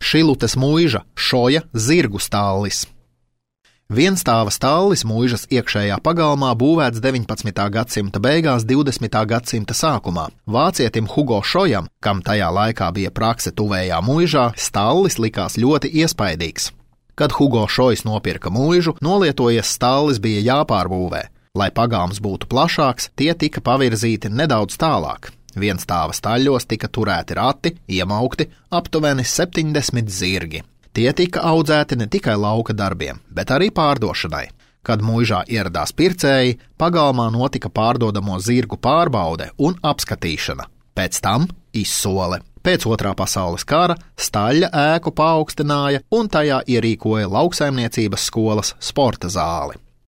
Šilutes muiža Šoja zirgu stallis. Vienstāva stallis muižas iekšējā pagalmā būvēts 19. gadsimta beigās, 20. gadsimta sākumā. Vācietim Hugo Šojam, kam tajā laikā bija prakse tuvējā muižā, stallis likās ļoti iespaidīgs. Kad Hugo Šojs nopirka muižu, nolietojies stallis bija jāpārbūvē. Lai pagalms būtu plašāks, tie tika pavirzīti nedaudz tālāk. Vienstāva staļļos tika turēti rati, iemaukti aptuveni 70 zirgi. Tie tika audzēti ne tikai lauka darbiem, bet arī pārdošanai. Kad muižā ieradās pircēji, pagalmā notika pārdodamo zirgu pārbaude un apskatīšana. Pēc tam izsole. Pēc Otrā pasaules kara staļļa ēku paaugstināja un tajā ierīkoja lauksaimniecības skolas sporta zāli.